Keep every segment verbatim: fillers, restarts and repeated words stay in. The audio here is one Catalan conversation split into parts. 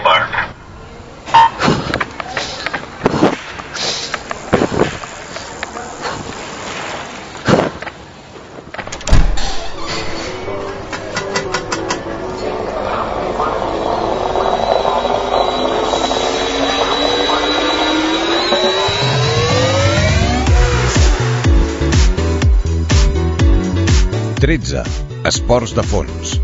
mark. tretze. Esports de fons.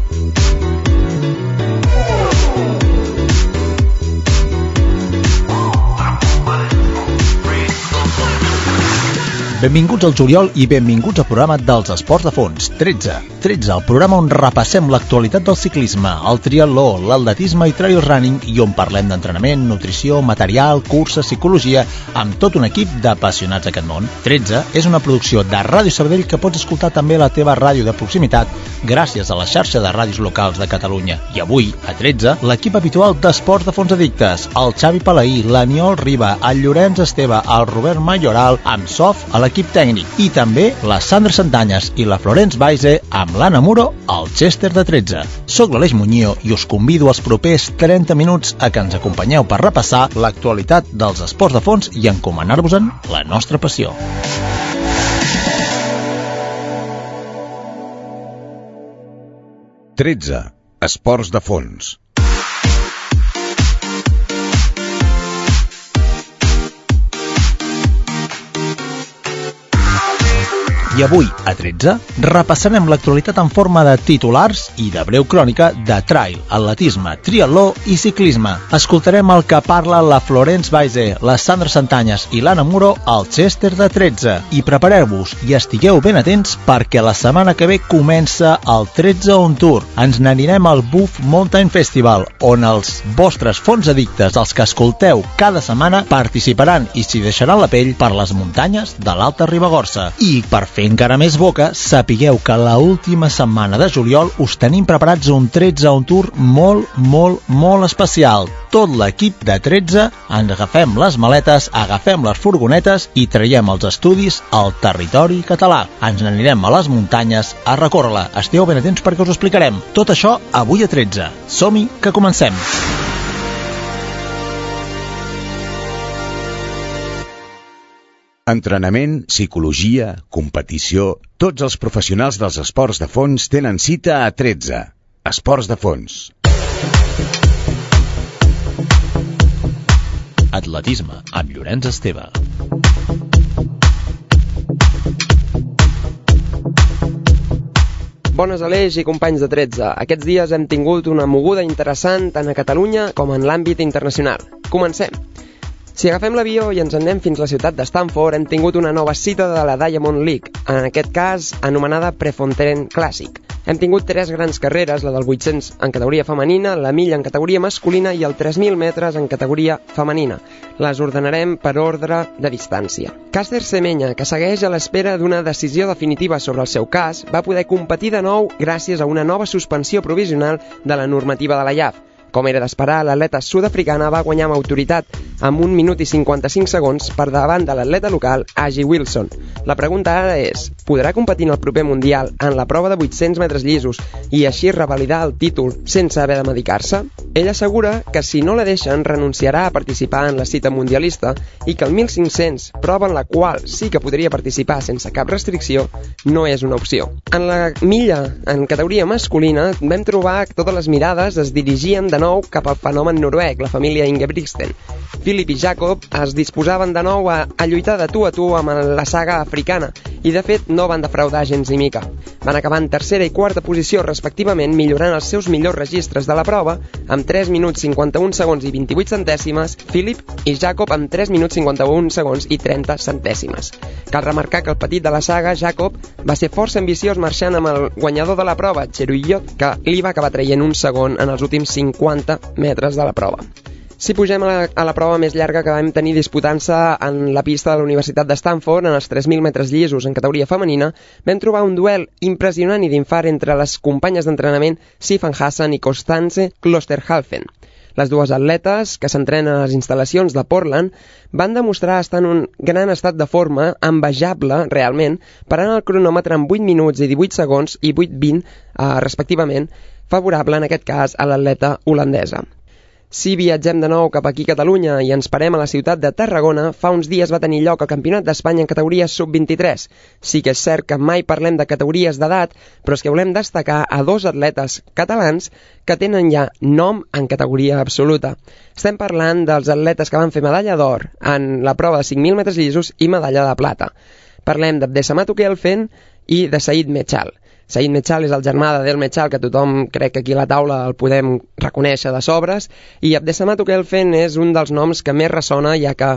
Benvinguts al juliol i benvinguts al programa dels esports de fons. tretze. tretze, el programa on repassem l'actualitat del ciclisme, el triatló, l'atletisme i trail running i on parlem d'entrenament, nutrició, material, curses, psicologia, amb tot un equip d'apassionats d'aquest món. tretze és una producció de Ràdio Sabadell que pots escoltar també a la teva ràdio de proximitat gràcies a la xarxa de ràdios locals de Catalunya. I avui, a tretze, l'equip habitual d'esports de fons addictes, el Xavi Palaí, l'Aniol Riba, el Llorenç Esteve, el Robert Mayoral, amb Sof a l'equip tècnic i també la Sandra Santanyes i la Florence Baise amb l'Anna Muro al Chester de tretze. Soc l'Aleix Muñío i us convido als propers trenta minuts a que ens acompanyeu per repassar l'actualitat dels esports de fons i encomanar-vos-en la nostra passió. tretze. Esports de fons. I avui, a tretze, repassarem l'actualitat en forma de titulars i de breu crònica de trail, atletisme, triatló i ciclisme. Escoltarem el que parla la Florence Baise, la Sandra Santanyes i l'Anna Muro al Chester de tretze. I prepareu-vos i estigueu ben atents perquè la setmana que ve comença el tretze On Tour. Ens n'anirem al Buff Mountain Festival, on els vostres fons addictes, els que escolteu cada setmana, participaran i s'hi deixaran la pell per les muntanyes de l'Alta Ribagorça. I per fer encara més boca, sapigueu que la última setmana de juliol us tenim preparats un tretze On Tour molt, molt, molt especial. Tot l'equip de tretze ens agafem les maletes, agafem les furgonetes i traiem els estudis al territori català. Ens n'anirem a les muntanyes a recórrer-la. Esteu ben atents perquè us ho explicarem. Tot això avui a tretze. Som-hi, que comencem! Entrenament, psicologia, competició... Tots els professionals dels esports de fons tenen cita a tretze. Esports de fons. Atletisme, amb Llorenç Esteve. Bones, Aleix i companys de tretze. Aquests dies hem tingut una moguda interessant tant a Catalunya com en l'àmbit internacional. Comencem. Si agafem l'avió i ens en anem fins a la ciutat de Stanford, hem tingut una nova cita de la Diamond League, en aquest cas anomenada Prefontaine Classic. Hem tingut tres grans carreres, la del vuit-cents en categoria femenina, la milla en categoria masculina i el tres mil metres en categoria femenina. Les ordenarem per ordre de distància. Caster Semenya, que segueix a l'espera d'una decisió definitiva sobre el seu cas, va poder competir de nou gràcies a una nova suspensió provisional de la normativa de la I A F. Com era d'esperar, l'atleta sud-africana va guanyar amb autoritat amb un minut i cinquanta-cinc segons per davant de l'atleta local Agi Wilson. La pregunta ara és, podrà competir en el proper Mundial en la prova de vuit-cents metres llisos i així revalidar el títol sense haver de medicar-se? Ell assegura que si no la deixen renunciarà a participar en la cita mundialista i que el mil cinc-cents, prova en la qual sí que podria participar sense cap restricció, no és una opció. En la milla, en categoria masculina, vam trobar que totes les mirades es dirigien de nou cap al fenomen noruec, la família Ingebrigtsen. Philip i Jacob es disposaven de nou a, a lluitar de tu a tu amb la saga africana i de fet no van defraudar gens ni mica. Van acabar en tercera i quarta posició respectivament, millorant els seus millors registres de la prova amb tres minuts cinquanta-un segons i vint-i-vuit centèsimes, Philip i Jacob amb tres minuts cinquanta-un segons i trenta centèsimes. Cal remarcar que el petit de la saga, Jacob, va ser força ambiciós marxant amb el guanyador de la prova, Cheruyot, que li va acabar traient un segon en els últims cinquanta metres de la prova. Si pugem a la, a la prova més llarga que vam tenir disputant-se en la pista de la Universitat de Stanford, en els tres mil metres llisos en categoria femenina, vam trobar un duel impressionant i d'infart entre les companyes d'entrenament Sifan Hassan i Constance Klosterhalfen. Les dues atletes, que s'entrenen a les instal·lacions de Portland, van demostrar estar en un gran estat de forma, envejable, realment, parant el cronòmetre en vuit minuts i divuit segons i vuit vint, eh, respectivament, favorable en aquest cas a l'atleta holandesa. Si viatgem de nou cap aquí a Catalunya i ens parem a la ciutat de Tarragona, fa uns dies va tenir lloc el Campionat d'Espanya en categoria sub vint-i-tres. Sí que és cert que mai parlem de categories d'edat, però és que volem destacar a dos atletes catalans que tenen ja nom en categoria absoluta. Estem parlant dels atletes que van fer medalla d'or en la prova de cinc mil metres llisos i medalla de plata. Parlem d'Abdesamat Okelfen i de Said Mechal. Said Mechal és el germà d'Adel Mechal, que tothom crec que aquí a la taula el podem reconèixer de sobres, i Abdesamat Okelfen és un dels noms que més ressona, ja que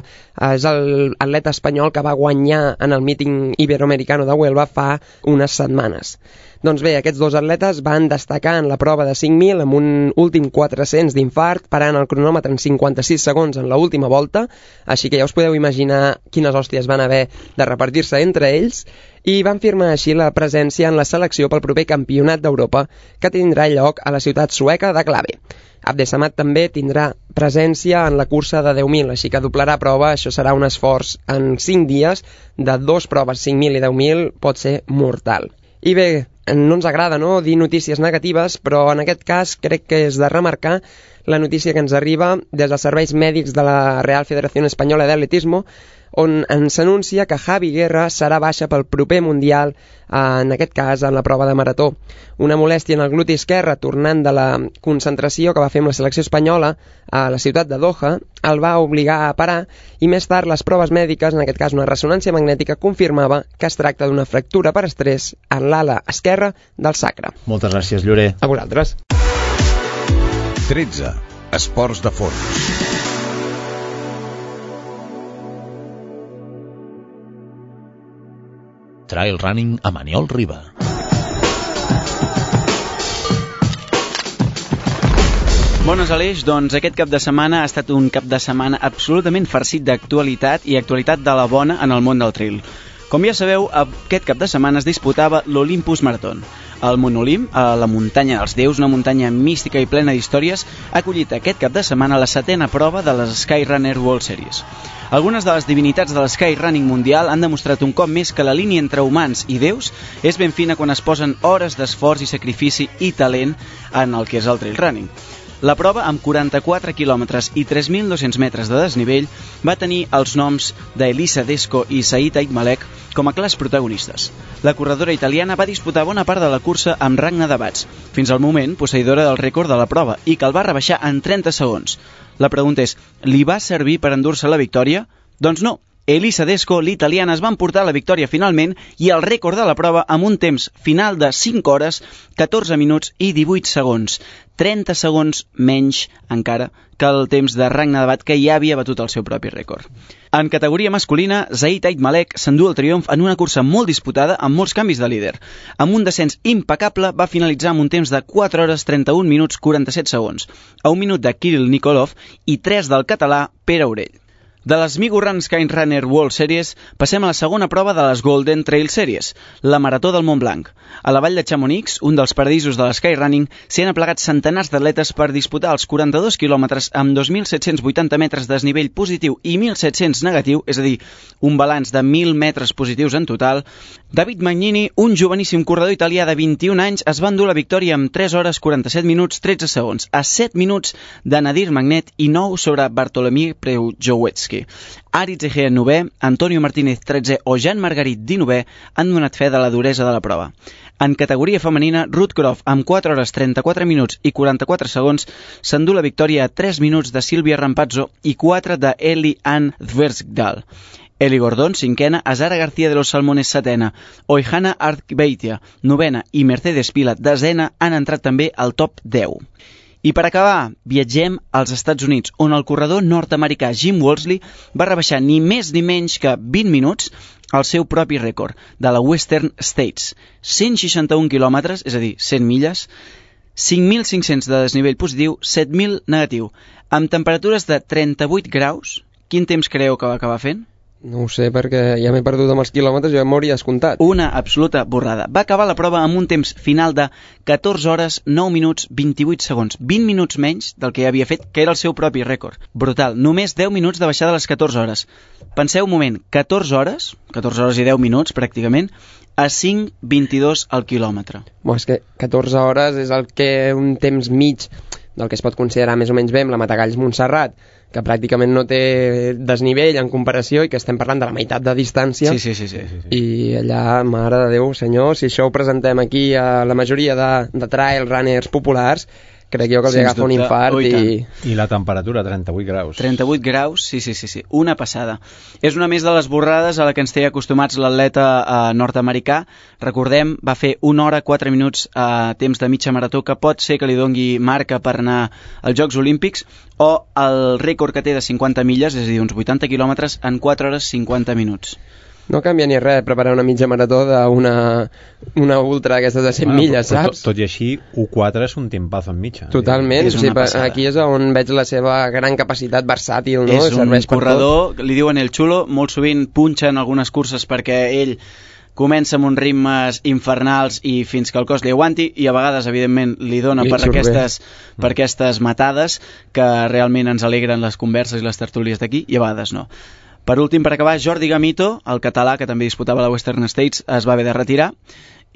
és l'atleta espanyol que va guanyar en el míting iberoamericano de Huelva fa unes setmanes. Doncs bé, aquests dos atletes van destacar en la prova de cinc mil amb un últim quatre-cents d'infart, parant el cronòmetre en cinquanta-sis segons en l'última volta, així que ja us podeu imaginar quines hòsties van haver de repartir-se entre ells, i van firmar així la presència en la selecció pel proper Campionat d'Europa, que tindrà lloc a la ciutat sueca de Klave. Abdesamat també tindrà presència en la cursa de deu mil, així que doblarà prova. Això serà un esforç en cinc dies de dos proves, cinc mil i deu mil, pot ser mortal. I bé, no ens agrada, no?, dir notícies negatives, però en aquest cas crec que és de remarcar la notícia que ens arriba des dels serveis mèdics de la Real Federación Española de Atletismo, on ens anuncia que Javi Guerra serà baixa pel proper Mundial, en aquest cas en la prova de marató. Una molèstia en el gluti esquerre tornant de la concentració que va fer amb la selecció espanyola a la ciutat de Doha el va obligar a parar, i més tard les proves mèdiques, en aquest cas una ressonància magnètica, confirmava que es tracta d'una fractura per estrès en l'ala esquerra del sacre. Moltes gràcies, Llorer. A vosaltres. tretze. Esports de fons. Trail running a Maniol Riba. Bones, Aleix. Doncs aquest cap de setmana ha estat un cap de setmana absolutament farcit d'actualitat, i actualitat de la bona en el món del trail. Com ja sabeu, aquest cap de setmana es disputava l'Olympus Marathon. El Monolimp, a la muntanya dels déus, una muntanya mística i plena d'històries, ha acollit aquest cap de setmana la setena prova de les Skyrunner World Series. Algunes de les divinitats de l'Skyrunning mundial han demostrat un cop més que la línia entre humans i déus és ben fina quan es posen hores d'esforç i sacrifici i talent en el que és el trail running. La prova, amb quaranta-quatre quilòmetres i tres mil dos-cents metres de desnivell, va tenir els noms d'Elisa Desco i Said Aitmalek com a clars protagonistes. La corredora italiana va disputar bona part de la cursa amb Ragna Dabats, fins al moment posseïdora del rècord de la prova, i que el va rebaixar en trenta segons. La pregunta és, li va servir per endur-se la victòria? Doncs no. Elisa Desco, l'italiana, es va emportar la victòria finalment i el rècord de la prova amb un temps final de cinc hores, catorze minuts i divuit segons. trenta segons menys encara que el temps de Ragna Dabat, que ja havia batut el seu propi rècord. En categoria masculina, Said Aitmalek s'endú el triomf en una cursa molt disputada amb molts canvis de líder. Amb un descens impecable va finalitzar amb un temps de quatre hores trenta-un minuts quaranta-set segons, a un minut de Kirill Nikolov i tres del català Pere Aurell. De les Migo Run Skyrunner World Series passem a la segona prova de les Golden Trail Series, la Marató del Mont Blanc. A la vall de Chamonix, un dels paradisos de l'Skyrunning, s'hi han aplegat centenars d'atletes per disputar els quaranta-dos quilòmetres amb dos mil set-cents vuitanta metres de desnivell positiu i mil set-cents negatiu, és a dir, un balanç de mil metres positius en total. David Magnini, un joveníssim corredor italià de vint-i-un anys, es va endur la victòria amb tres hores quaranta-set minuts tretze segons, a set minuts de Nadir Magnet i nou sobre Bartolomé Preujowiecki. Aritz Egea novè, Antonio Martínez tretzè o Jean Margarit dinovè han donat fe de la duresa de la prova. En categoria femenina, Ruth Croft, amb quatre hores trenta-quatre minuts i quaranta-quatre segons, s'endú la victòria a tres minuts de Silvia Rampazzo i quatre de Eli Ann Zversdal. Eli Gordon, cinquena, Azara García de los Salmones, setena, Oihana Artbeitia, novena, i Mercedes Pila, desena, han entrat també al top deu. I per acabar, viatgem als Estats Units, on el corredor nord-americà Jim Wolseley va rebaixar ni més ni menys que vint minuts el seu propi rècord de la Western States. cent seixanta-un quilòmetres, és a dir, cent milles, cinc mil cinc-cents de desnivell positiu, set mil negatiu, amb temperatures de trenta-vuit graus. Quin temps creieu que va acabar fent? No ho sé, perquè ja m'he perdut amb els quilòmetres i ja m'hauria descomptat. Una absoluta borrada. Va acabar la prova amb un temps final de catorze hores, nou minuts, vint-i-vuit segons. vint minuts menys del que havia fet, que era el seu propi rècord. Brutal. Només deu minuts de baixada a les catorze hores. Penseu un moment, catorze hores, catorze hores i deu minuts pràcticament, a cinc vint-i-dos al quilòmetre. Bo, és que catorze hores és el que un temps mig del que es pot considerar més o menys bé amb la Matagalls Montserrat, que pràcticament no té desnivell en comparació i que estem parlant de la meitat de distància. Sí, sí, sí, sí, sí, sí. I allà, mare de Déu, senyor, si això ho presentem aquí a la majoria de, de trail runners populars, crec jo que els agafa un infart. Oh, i, i... I la temperatura, trenta-vuit graus. trenta-vuit graus, sí, sí, sí, sí. Una passada. És una més de les borrades a la que ens té acostumats l'atleta eh, nord-americà. Recordem, va fer una hora, quatre minuts a eh, temps de mitja marató, que pot ser que li dongui marca per anar als Jocs Olímpics, o el rècord que té de cinquanta milles, és a dir, uns vuitanta quilòmetres, en quatre hores cinquanta minuts. No canvia ni res preparar una mitja marató d'una una ultra d'aquestes de cent bueno, milles, però, saps? Tot, tot i així, u quatre és un tempazo en mitja. Totalment, és o sigui, aquí és on veig la seva gran capacitat versàtil, no? És un corredor, li diuen el xulo, molt sovint punxa en algunes curses perquè ell comença amb uns ritmes infernals i fins que el cos li aguanti, i a vegades, evidentment, li dona li per, aquestes, per aquestes matades que realment ens alegren les converses i les tertúlies d'aquí, i a vegades no. Per últim, per acabar, Jordi Gamito, el català que també disputava la Western States, es va haver de retirar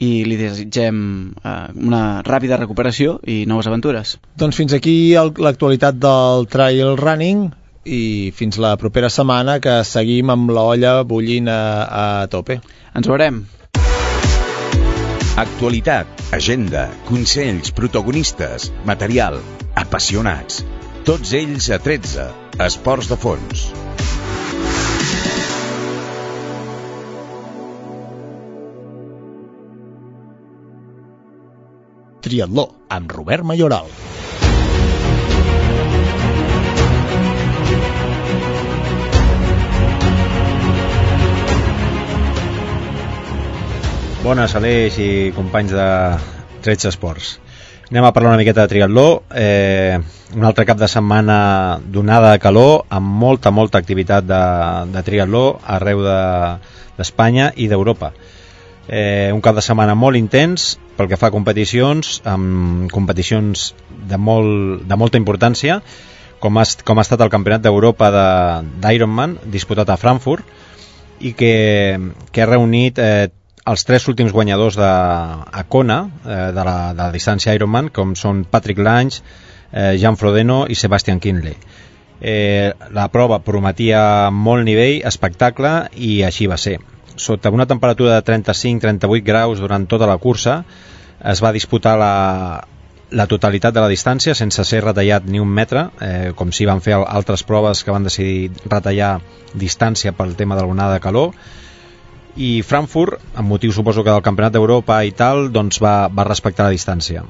i li desitgem eh, una ràpida recuperació i noves aventures. Doncs fins aquí l'actualitat del trail running i fins la propera setmana, que seguim amb l'olla bullint a, a tope. Ens veurem. Actualitat, agenda, consells, protagonistes, material, apassionats. Tots ells a tretze, Esports de Fons. Triatló, amb Robert Mayoral. Bones, Aleix i companys de tretze Esports. Anem a parlar una miqueta de triatló. Eh, un altre cap de setmana d'onada de calor, amb molta, molta activitat de, de triatló arreu d'Espanya de, i d'Europa. Eh, un cap de setmana molt intens pel que fa a competicions, amb competicions de, molt, de molta importància, com ha, com ha estat el Campionat d'Europa d'Ironman, disputat a Frankfurt, i que, que ha reunit eh, els tres últims guanyadors de, a Kona, eh, de, la, de la distància Ironman, com són Patrick Lange, eh, Jan Frodeno i Sebastian Kienle. Eh, la prova prometia molt nivell, espectacle, i així va ser. Sota una temperatura de trenta-cinc a trenta-vuit graus durant tota la cursa, es va disputar la, la totalitat de la distància sense ser retallat ni un metre, eh, com si van fer altres proves que van decidir retallar distància pel tema de l'onada de calor. I Frankfurt, amb motiu suposo que del Campionat d'Europa i tal, doncs va, va respectar la distància.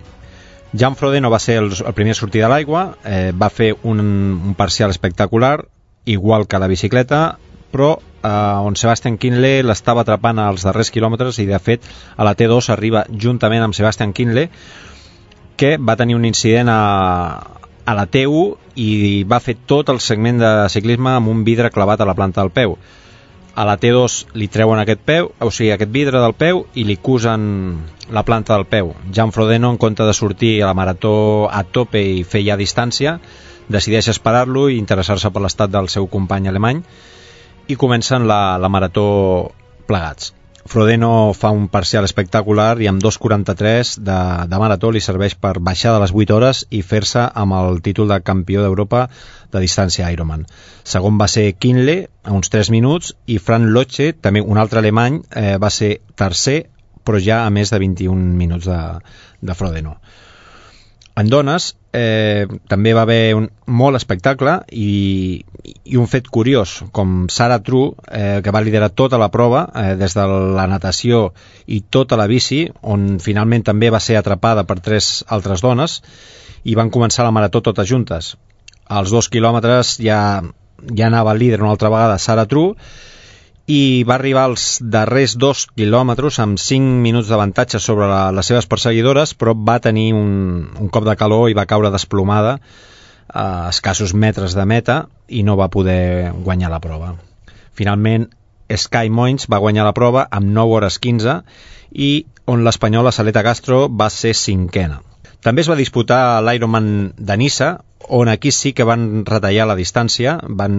Jan Frodeno va ser el, el primer a sortir de l'aigua, eh, va fer un, un parcial espectacular, igual que la bicicleta, però eh, on Sebastian Kienle l'estava atrapant als darrers quilòmetres, i de fet a la T dos arriba juntament amb Sebastian Kienle, que va tenir un incident a, a la T u i va fer tot el segment de ciclisme amb un vidre clavat a la planta del peu. A la T dos li treuen aquest peu, o sigui, aquest vidre del peu, i li cusen la planta del peu. Jan Frodeno, en compte de sortir a la marató a tope i fer ja distància, decideix esperar-lo i interessar-se per l'estat del seu company alemany, i comencen la, la marató plegats. Frodeno fa un parcial espectacular i amb dos quaranta-tres de, de marató li serveix per baixar de les vuit hores i fer-se amb el títol de campió d'Europa de distància Ironman. Segon va ser Kienle, a uns tres minuts, i Frank Loche, també un altre alemany, eh, va ser tercer, però ja a més de vint-i-un minuts de, de Frodeno. En dones eh, també va haver un molt espectacle i, i un fet curiós, com Sarah True, eh, que va liderar tota la prova, eh, des de la natació i tota la bici, on finalment també va ser atrapada per tres altres dones, i van començar la marató totes juntes. Als dos quilòmetres ja, ja anava el líder una altra vegada, Sarah True, i va arribar als darrers dos quilòmetres amb cinc minuts d'avantatge sobre la, les seves perseguidores, però va tenir un, un cop de calor i va caure desplomada a escassos metres de meta i no va poder guanyar la prova. Finalment, Sky Moins va guanyar la prova amb nou hores quinze, i on l'espanyola Saleta Castro va ser cinquena. També es va disputar l'Ironman de Niça, on aquí sí que van retallar la distància, van,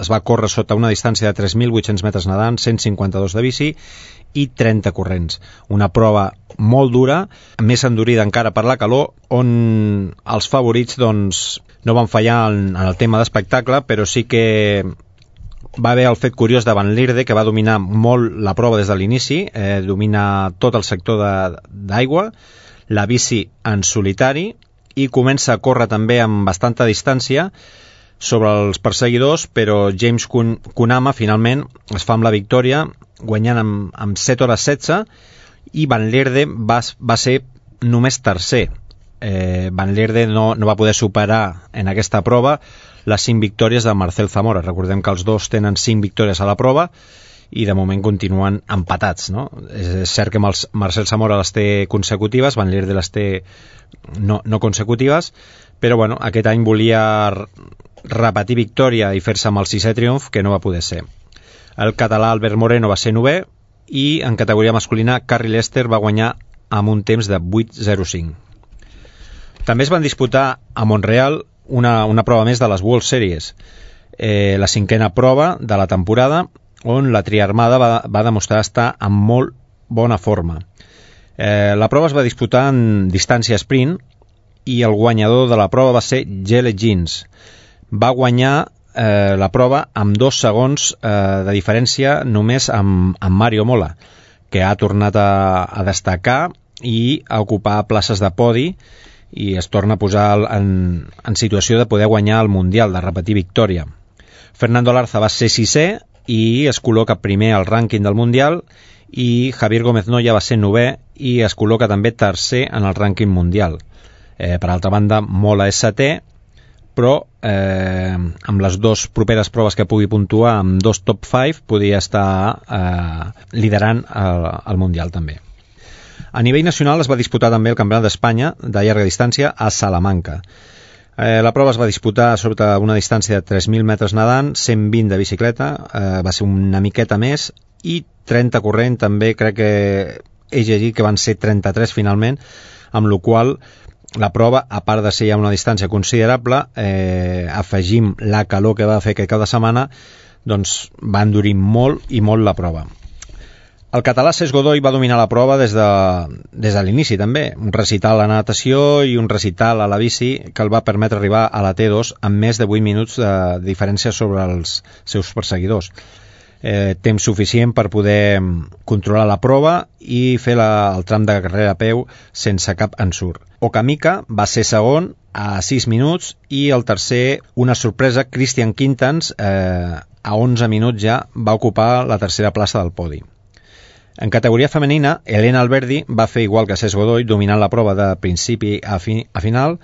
es va córrer sota una distància de tres mil vuit-cents metres nedant, cent cinquanta-dos de bici i trenta corrents. Una prova molt dura, més endurida encara per la calor, on els favorits doncs, no van fallar en, en el tema d'espectacle, però sí que va haver el fet curiós de Van Lierde, que va dominar molt la prova des de l'inici, eh, domina tot el sector d'aigua, la bici en solitari, i comença a córrer també amb bastanta distància sobre els perseguidors, però James Kunama finalment es fa amb la victòria, guanyant amb, amb set hores setze, i Van Lierde va, va ser només tercer. Eh, Van Lierde no, no va poder superar en aquesta prova les cinc victòries de Marcel Zamora. Recordem que els dos tenen cinc victòries a la prova i de moment continuen empatats, no? És cert que Marcel Zamora les té consecutives, Van Lierde les té no, no consecutives, però bueno, aquest any volia repetir victòria i fer-se amb el sisè triomf, que no va poder ser. El català Albert Moreno va ser novè i en categoria masculina Carrie Lester va guanyar amb un temps de vuit zero cinc. També es van disputar a Montreal una, una prova més de les World Series, eh, la cinquena prova de la temporada, on la triarmada va, va demostrar estar en molt bona forma. Eh, la prova es va disputar en distància sprint i el guanyador de la prova va ser Gele Jeans. Va guanyar eh, la prova amb dos segons eh, de diferència només amb, amb Mario Mola, que ha tornat a, a destacar i a ocupar places de podi i es torna a posar en, en situació de poder guanyar el Mundial, de repetir victòria. Fernando Larza va ser sisè i es col·loca primer al rànquing del Mundial, i Javier Gómez Noya va ser novè i es col·loca també tercer en el rànquing mundial. Eh, per altra banda, Mola és setè, però eh, amb les dues properes proves que pugui puntuar, amb dos top cinc, podria estar eh, liderant el, el Mundial també. A nivell nacional es va disputar també el Campionat d'Espanya de llarga distància a Salamanca. Eh, la prova es va disputar sobre una distància de tres mil metres nedant, cent vint de bicicleta, eh, va ser una miqueta més, i trenta corrent, també crec que he llegit que van ser trenta-tres finalment, amb la qual la prova, a part de ser ja una distància considerable, eh, afegim la calor que va fer aquest cap de setmana, doncs va endurir molt i molt la prova. El català Cesc Godoy va dominar la prova des de, des de l'inici també, un recital a la natació i un recital a la bici que el va permetre arribar a la T dos amb més de vuit minuts de diferència sobre els seus perseguidors. Eh, temps suficient per poder controlar la prova i fer la, el tram de carrera a peu sense cap ensurt. Okamika va ser segon a sis minuts i el tercer, una sorpresa, Christian Quintans, eh, a onze minuts ja va ocupar la tercera plaça del podi. En categoria femenina, Elena Alberdi va fer igual que Cesc Godoy, dominant la prova de principi a, fi, a final,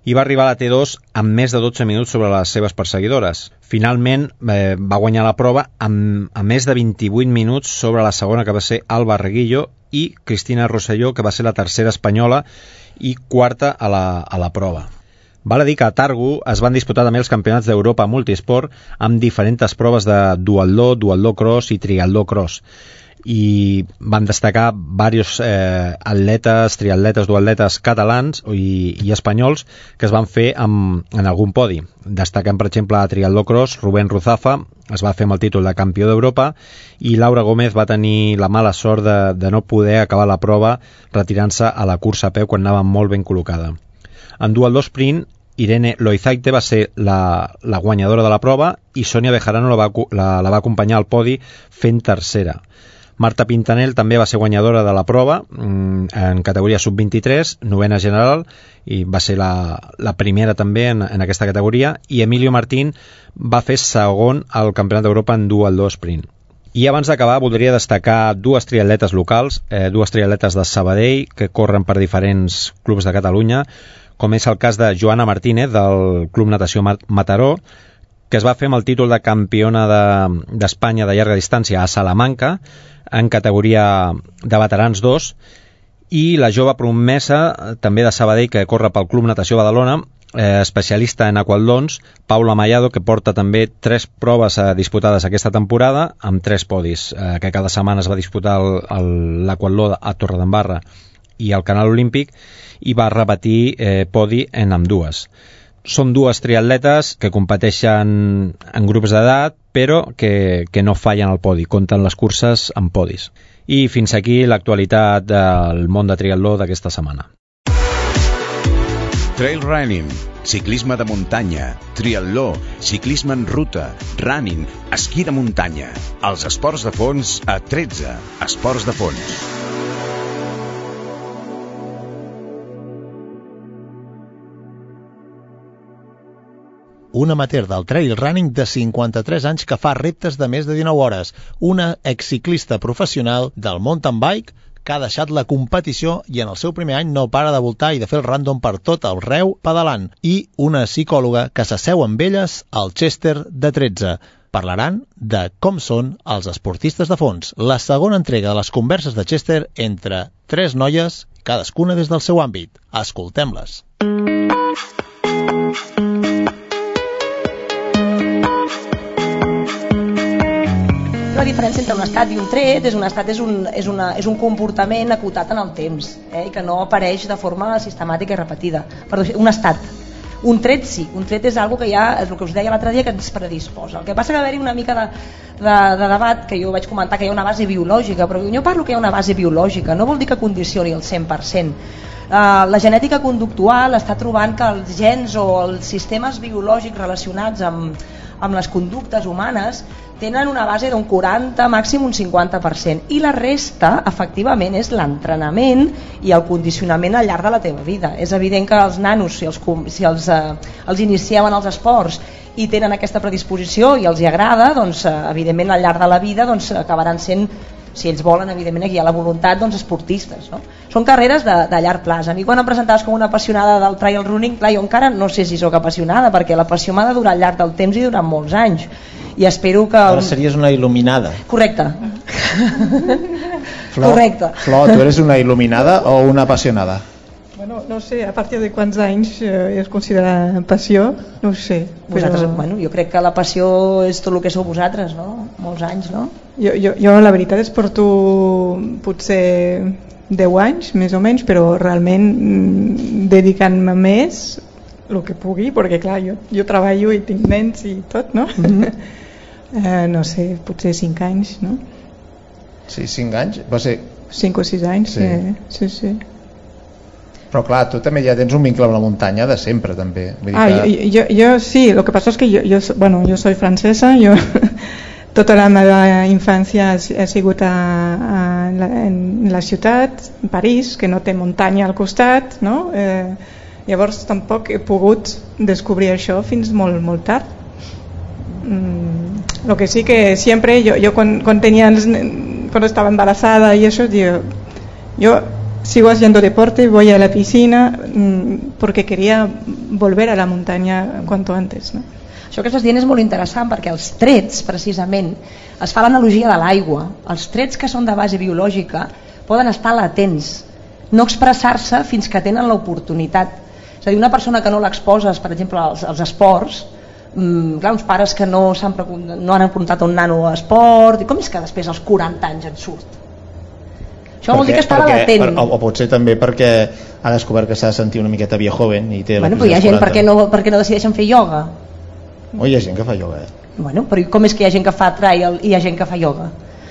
i va arribar a la T dos amb més de dotze minuts sobre les seves perseguidores. Finalment eh, va guanyar la prova amb, amb més de vint-i-vuit minuts sobre la segona, que va ser Alba Reguillo, i Cristina Rosselló, que va ser la tercera espanyola i quarta a la, a la prova. Val a dir que a Targu es van disputar també els campionats d'Europa multisport amb diferents proves de duatló, duatló cross i triatló cross, i van destacar diversos eh, atletes, triatletes, duatletes catalans i, i espanyols que es van fer amb, en algun podi. Destaquen, per exemple, a triatló cross, Rubén Ruzafa es va fer amb el títol de campió d'Europa i Laura Gómez va tenir la mala sort de, de no poder acabar la prova retirant-se a la cursa a peu quan anava molt ben col·locada. En duatló sprint, Irene Loizaite va ser la, la guanyadora de la prova i Sonia Bejarano la va, la, la va acompanyar al podi fent tercera. Marta Pintanel també va ser guanyadora de la prova en categoria sub vint-i-tres, novena general, i va ser la, la primera també en, en aquesta categoria, i Emilio Martín va fer segon al Campionat d'Europa en duatló sprint. I abans d'acabar voldria destacar dues triatletes locals, eh, dues triatletes de Sabadell que corren per diferents clubs de Catalunya, com és el cas de Joana Martínez del Club Natació Mataró, que es va fer amb el títol de campiona d'Espanya de, de llarga distància a Salamanca, en categoria de veterans dos, i la jove promesa també de Sabadell que corre pel Club Natació Badalona, eh, especialista en aquatlons, Paula Mallado, que porta també tres proves eh, disputades aquesta temporada amb tres podis, eh, que cada setmana es va disputar l'aquatló a Torredembarra i el Canal Olímpic i va repetir eh, podi en ambdues. Són dues triatletes que competeixen en grups d'edat, però que, que no fallen al podi, compten les curses en podis. I fins aquí l'actualitat del món de triatló d'aquesta setmana. Trail running, ciclisme de muntanya, triatló, ciclisme en ruta, running, esquí de muntanya. Els esports de fons a tretze Esports de Fons. Un amateur del trail running de cinquanta-tres anys que fa reptes de més de dinou hores, una exciclista professional del mountain bike que ha deixat la competició i en el seu primer any no para de voltar i de fer el random per tot el Reu pedalant, i una psicòloga que s'asseu amb elles al Chester de tretze. Parlaran de com són els esportistes de fons, la segona entrega de les converses de Chester entre tres noies, cadascuna des del seu àmbit. Escoltem-les. La diferència entre un estat i un tret és un estat és un, és una, és un comportament acotat en el temps, eh, i que no apareix de forma sistemàtica i repetida. Perdó, un estat. Un tret sí, un tret és algo que ja, és el que us deia l'altre dia, que ens predisposa. El que passa que va haver-hi una mica de, de, de debat, que jo vaig comentar que hi ha una base biològica, però jo parlo que hi ha una base biològica, no vol dir que condicioni el cent per cent. Uh, la genètica conductual està trobant que els gens o els sistemes biològics relacionats amb, amb les conductes humanes tenen una base d'un quaranta, màxim un cinquanta per cent, i la resta efectivament és l'entrenament i el condicionament al llarg de la teva vida. És evident que els nanos, si els, si els, eh, els iniciem en els esports i tenen aquesta predisposició i els hi agrada, doncs eh, evidentment al llarg de la vida doncs, acabaran sent, si ells volen, evidentment aquí hi ha la voluntat, doncs esportistes, no? Són carreres de, de llarg plaç. A mi quan em presentaves com una apassionada del trail running, clar, jo encara no sé si sóc apassionada, perquè la passió m'ha de durar al llarg del temps i durant molts anys, i espero que... Ara series una il·luminada. Correcte. Flor, Correcte. Flor, tu eres una il·luminada o una apassionada? Bueno, no sé, a partir de quants anys eh, es considera passió, no ho sé. Vosaltres, però... bueno, jo crec que la passió és tot el que sou vosaltres, no? Molts anys, no? Jo, jo, jo la veritat és porto potser deu anys, més o menys, però realment mm, dedicant-me més el que pugui, perquè clar, jo, jo treballo i tinc nens i tot, no? Mm-hmm. eh, no sé, potser cinc anys, no? Sí, cinc anys? Va ser... cinc o sis anys, sí, eh, sí, sí. Però clar, tu també ja tens un vincle amb la muntanya de sempre, també. Vull dir ah, que... jo, jo, jo sí, lo que pasa es que yo, yo, bueno, yo soy francesa, yo tota la meva infància he sigut a, a, en, la, en la ciutat, en París, que no té muntanya al costat, no? Eh, llavors tampoc he pogut descobrir això fins molt, molt tard. Mm, lo que sí que siempre, yo, yo cuando, cuando, tenía, cuando estaba embarazada y eso, yo, yo sigo haciendo deporte, voy a la piscina mmm, porque quería volver a la muntanya cuanto antes, no? Això que estàs dient és molt interessant perquè els trets, precisament, es fa l'analogia de l'aigua. Els trets que són de base biològica poden estar latents, no expressar-se fins que tenen l'oportunitat. És a dir, una persona que no l'exposes, per exemple, als, als esports, mmm, clar, uns pares que no, s'han, no han apuntat un nano a esport, i com és que després als quaranta anys en surt? Això vol dir que estava latent. Per, o, o potser també perquè ha descobert que s'ha de sentir una miqueta vieja joven i té bueno, però hi ha gent perquè no, perquè no decideixen fer ioga. O hi ha gent que fa ioga, eh? Bueno, però com és que hi ha gent que fa trail i hi ha gent que fa ioga?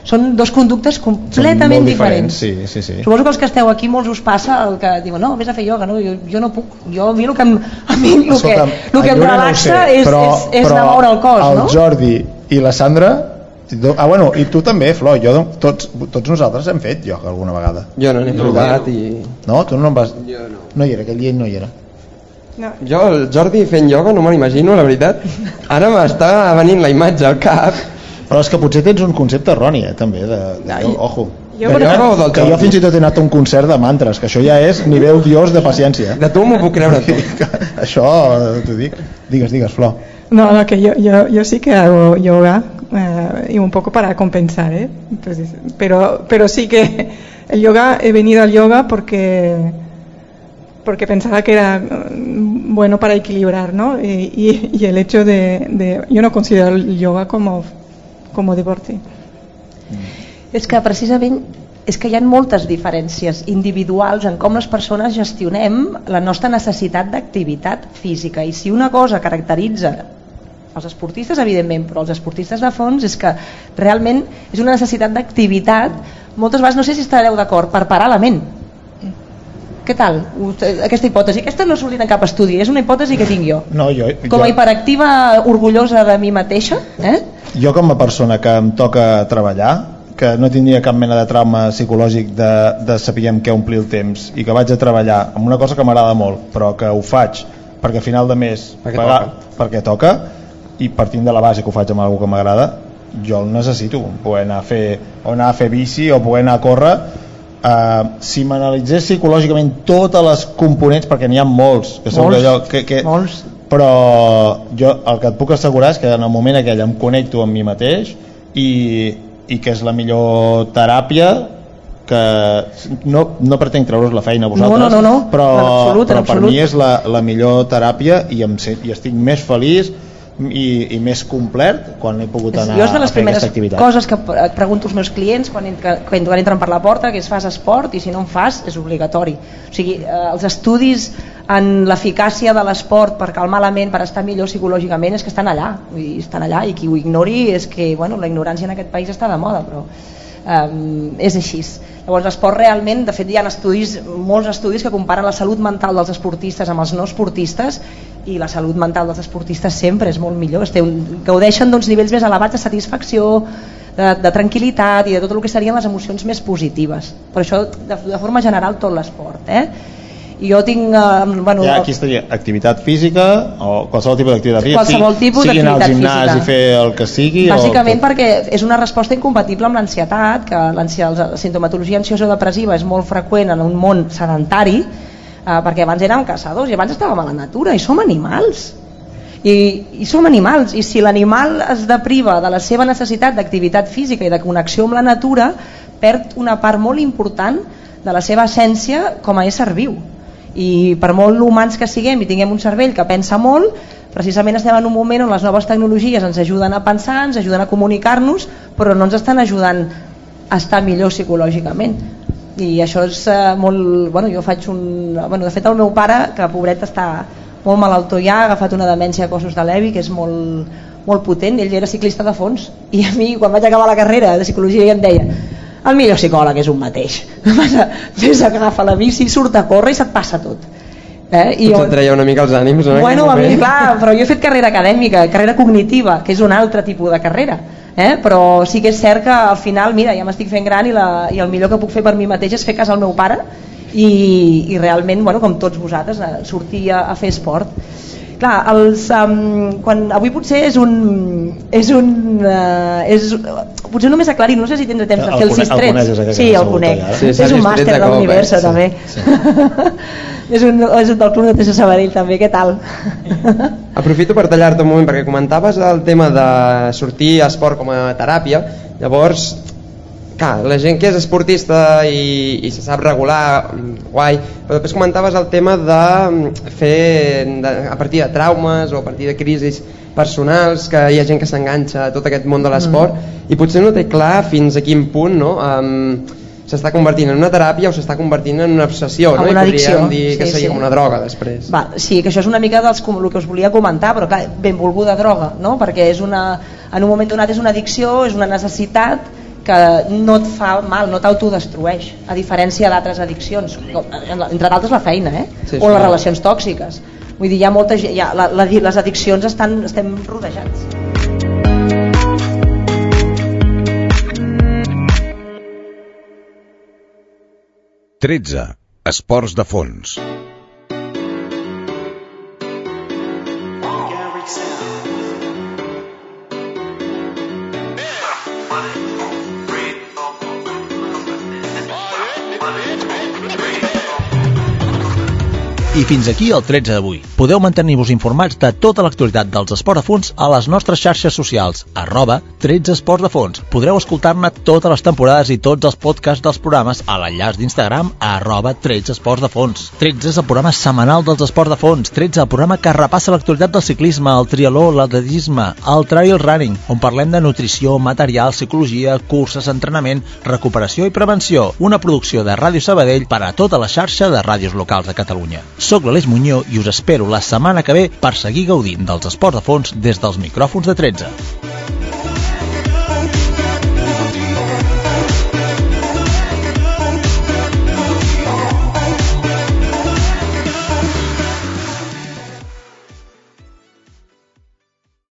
Són dos conductes completament diferents. diferents. Sí, sí, sí. Suposo que els que esteu aquí molts us passa el que diuen, no, vés a fer ioga, no? jo, jo no puc. Jo, a mi el que em, a mi el Escolta, que, el que em relaxa no sé, és, però, és, és de moure el cos, el no? El Jordi i la Sandra... Ah, bueno, i tu també, Flor, jo, tots, tots nosaltres hem fet ioga alguna vegada. Jo no n'he no, provat i... No? Tu no en vas... Jo no. No hi era, aquell dia no hi era. No. Jo, el Jordi fent ioga no me l'imagino, la veritat. Ara m'està venint la imatge al cap. Però és que potser tens un concepte erroni, eh, també, de... de ojo. Jo, que, jo, del que jo fins i tot he anat a un concert de mantres, que això ja és nivell dios de paciència. De tu m'ho puc creure tu. Això, t'ho dic. Digues, digues, Flor. No, no, que yo, yo, yo sí que hago yoga eh, y un poco para compensar, ¿eh? Pues, pero, pero sí que el yoga, he venido al yoga porque porque pensaba que era bueno para equilibrar, ¿no? Y, y, y el hecho de, de... Yo no considero el yoga como, como deporte. És que precisament és que hi ha moltes diferències individuals en com les persones gestionem la nostra necessitat d'activitat física, i si una cosa caracteritza els esportistes, evidentment, però els esportistes de fons és que realment és una necessitat d'activitat, moltes vegades, no sé si estareu d'acord, per parar la ment. Què tal? Aquesta hipòtesi, aquesta no ha sortit en cap estudi, és una hipòtesi que tinc jo. No, jo, com a jo... hiperactiva orgullosa de mi mateixa, eh? Jo com a persona que em toca treballar, que no tindria cap mena de trauma psicològic de, de saber què omplir el temps i que vaig a treballar amb una cosa que m'agrada molt, però que ho faig perquè a final de mes perquè pagar, toca. perquè toca, i partint de la base que ho faig amb alguna que m'agrada, jo el necessito, poder anar a fer, o anar a fer bici o poder anar a córrer. Uh, si m'analitzés psicològicament totes les components, perquè n'hi ha molts que segur molts, que allò, que, que, molts. però jo el que et puc assegurar és que en el moment aquell em connecto amb mi mateix i, i que és la millor teràpia, que no, no pretenc treure's la feina a vosaltres, no, no, no, no. però, absolut, però per mi és la, la millor teràpia, i, em, i estic més feliç i, i més complet quan he pogut anar jo és de les a fer aquesta activitat. primeres coses que pregunto als meus clients quan, entra, quan entren per la porta, que és: fas esport? I si no en fas, és obligatori. O sigui, eh, els estudis en l'eficàcia de l'esport per calmar la ment, per estar millor psicològicament, és que estan allà, vull dir, estan allà, i qui ho ignori és que, bueno, la ignorància en aquest país està de moda, però um, és així. Llavors l'esport realment, de fet hi ha estudis, molts estudis que comparen la salut mental dels esportistes amb els no esportistes, i la salut mental dels esportistes sempre és molt millor, un, gaudeixen d'uns nivells més elevats de satisfacció, de, de tranquil·litat i de tot el que serien les emocions més positives. Per això, de, de forma general, tot l'esport, eh? I jo tinc... Eh, bueno, ja, aquí estaria activitat física o qualsevol tipus d'activitat física, qualsevol tipus sigui anar al gimnàs física. I fer el que sigui, bàsicament o... perquè és una resposta incompatible amb l'ansietat, que la sintomatologia ansiosa depressiva és molt freqüent en un món sedentari, eh, perquè abans érem caçadors i abans estàvem a la natura i som animals i, i som animals i si l'animal es depriva de la seva necessitat d'activitat física i de connexió amb la natura, perd una part molt important de la seva essència com a ésser viu. I per molt humans que siguem i tinguem un cervell que pensa molt, precisament estem en un moment on les noves tecnologies ens ajuden a pensar, ens ajuden a comunicar-nos, però no ens estan ajudant a estar millor psicològicament. I això és eh, molt... Bueno, jo faig un... Bueno, de fet el meu pare, que pobret està molt malaltó ja, ha agafat una demència a cossos de Levi que és molt, molt potent, ell era ciclista de fons i a mi quan vaig acabar la carrera de psicologia em deia: el millor psicòleg és un mateix, fes agafa la bici, surt a córrer i se't passa tot. Eh? I Potser jo... et treia una mica els ànims, no? Bueno, a mi, clar, però jo he fet carrera acadèmica, carrera cognitiva, que és un altre tipus de carrera, eh? Però sí que és cert que al final, mira, ja m'estic fent gran i, la, i el millor que puc fer per mi mateix és fer cas al meu pare i, i realment, bueno, com tots vosaltres, sortir a, a fer esport. Clar, els, um, quan, avui potser és un... És un uh, és, potser només aclarir, no sé si tindré temps de fer els sis trets. Sí, el conec. Sí, és un màster de l'univers, eh? també. Sí. és, un, és un del Club de Tessa Sabadell, també. Què tal? Aprofito per tallar-te un moment, perquè comentaves el tema de sortir a esport com a teràpia. Llavors, clar, la gent que és esportista i, i se sap regular, guai, però després comentaves el tema de fer de, a partir de traumes o a partir de crisis personals, que hi ha gent que s'enganxa a tot aquest món de l'esport mm. i potser no té clar fins a quin punt, no? Um, s'està convertint en una teràpia o s'està convertint en una obsessió, no? Una I podríem dir sí, que seria sí. com una droga després. Va, sí, que això és una mica dels, el que us volia comentar, però clar, benvolguda droga, no? Perquè és una, en un moment donat és una addicció, és una necessitat que no et fa mal, no t'autodestrueix, a diferència d'altres addiccions, entre d'altres la feina, eh? Sí, o les relacions tòxiques. Vull dir, hi ha molta gent, ja, la, la, les addiccions estan, estem rodejats. tretze. Esports de fons. I fins aquí el tretze d'avui. Podeu mantenir-vos informats de tota l'actualitat dels esports de fons a les nostres xarxes socials, arroba tretze esports de fons. Podreu escoltar-ne totes les temporades i tots els podcasts dels programes a l'enllaç d'Instagram a arroba tretze esports de fons. tretze és el programa setmanal dels esports de fons. tretze, el programa que repassa l'actualitat del ciclisme, el triatló, l'atletisme, el trail running, on parlem de nutrició, material, psicologia, curses, entrenament, recuperació i prevenció. Una producció de Ràdio Sabadell per a tota la xarxa de ràdios locals de Catalunya. Soc l'Aleix Muñoz i us espero la setmana que ve per seguir gaudint dels esports de fons des dels micròfons de tretze.